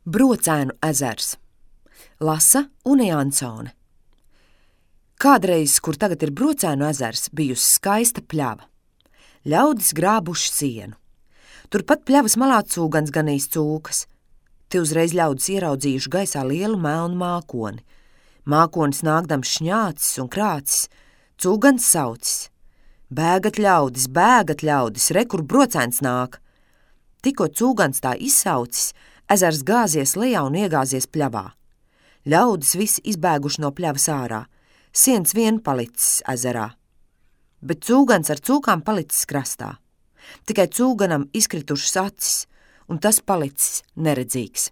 Brocēnu ezers. Lasa Unija Ansone. Kādreiz, kur tagad ir Brocēnu ezers, bijusi skaista pļava. Ļaudis grābuši sienu. Turpat pļavas malā cūgans ganījis cūkas. Te uzreiz ļaudis ieraudzījuši gaisā lielu melnu mākoni. Mākonis nākdams šņācis un krācis, cūgans saucis. Bēgat ļaudis, re, kur brocēns nāk. Tikko cūgans tā izsaucis, ezers gāzies lejā un iegāzies pļavā. Ļaudis visi izbēguši no pļavas ārā, siens vien palicis ezerā. Bet cūgans ar cūkām palicis krastā. Tikai cūganam izkritušas acis, un tas palicis neredzīgs.